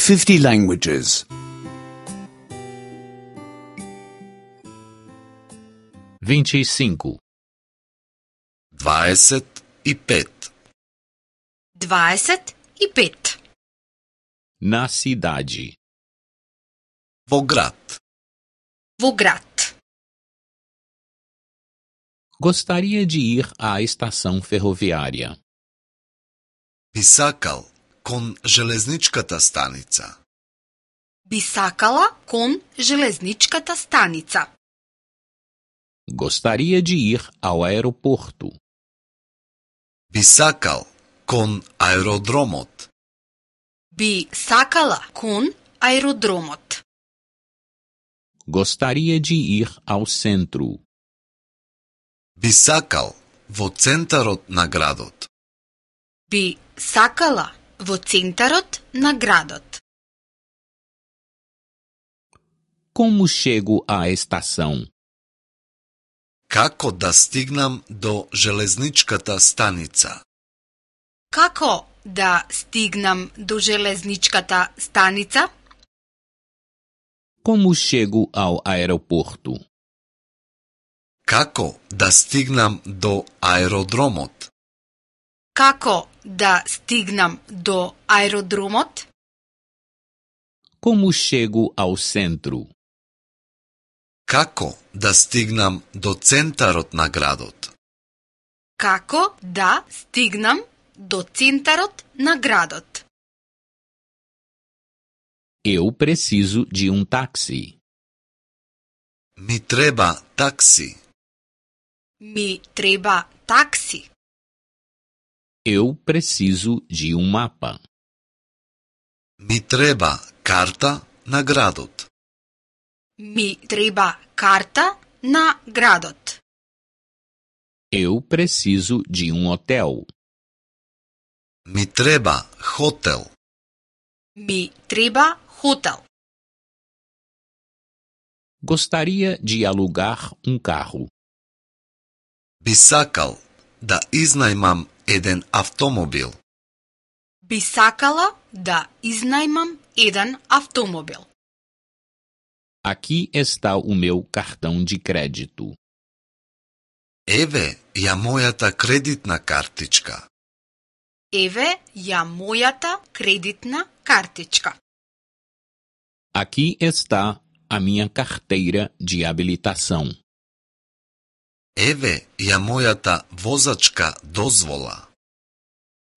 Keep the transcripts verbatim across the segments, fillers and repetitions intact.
fifty languages. vinte e cinco. Дваесет и пет. Дваесет и пет. Na cidade. Во град. Во град. Gostaria de ir à estação ferroviária. Би сакал кон железничката станица. Би сакала кон железничката станица. Gostaria de ir ao aeroporto. Би сакал кон аеродромот. Би сакала кон аеродромот. Gostaria de ir ao centro. Би сакал во центарот на градот. Би сакала во центарот на градот. Como chego à estação? Како да стигнам до железничката станица? Како да стигнам до железничката станица? Como chego ao aeroporto? Како да стигнам до аеродромот? Како да стигнам до аеродромот? Como chego ao centro? Како да стигнам до центарот на градот? Како да стигнам до центарот на градот? Eu preciso de um táxi. Ми треба такси. Ми треба такси. Eu preciso de um mapa. Ми треба карта на градот. Ми треба карта на градот. Eu preciso de um hotel. Ми треба хотел. Ми треба хотел. Gostaria de alugar um carro. Би сакал да изнајмам еден автомобил. Би сакала да изнајмам еден автомобил. Aqui está o meu cartão de crédito. Еве ја мојата кредитна картичка. Еве ја мојата кредитна картичка. Aqui está a minha carteira de habilitação. Еве ја мојата возачка дозвола.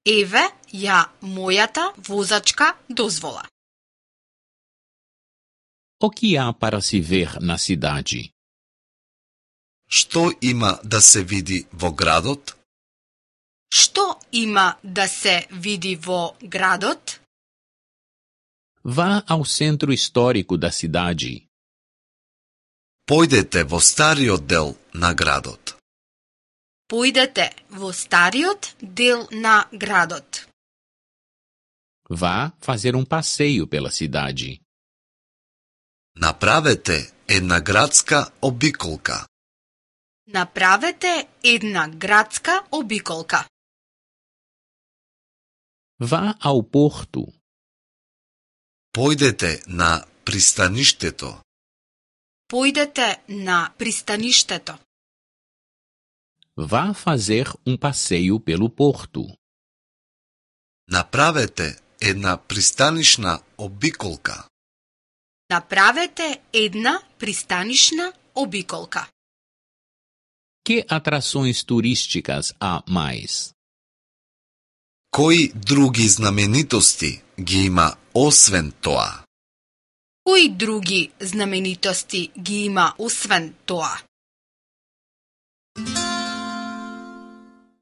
Еве ја мојата возачка дозвола. O que há para se ver na cidade? Што има да се види во градот? Што има да се види во градот? Vá ao centro histórico da cidade. Појдете во стариот дел на градот. Појдете во стариот дел на градот. Vá fazer um passeio pela cidade. Направете една градска обиколка. Направете една градска обиколка. Vá ao porto. Појдете на пристаништето. Појдете на пристаништето. Vá fazer um passeio pelo porto. Направете една пристанишна обиколка. Направете една пристанишна обиколка. Que atrações turísticas há mais? Кои други знаменитости ги има освен тоа? Кои други знаменитости ги има освен тоа?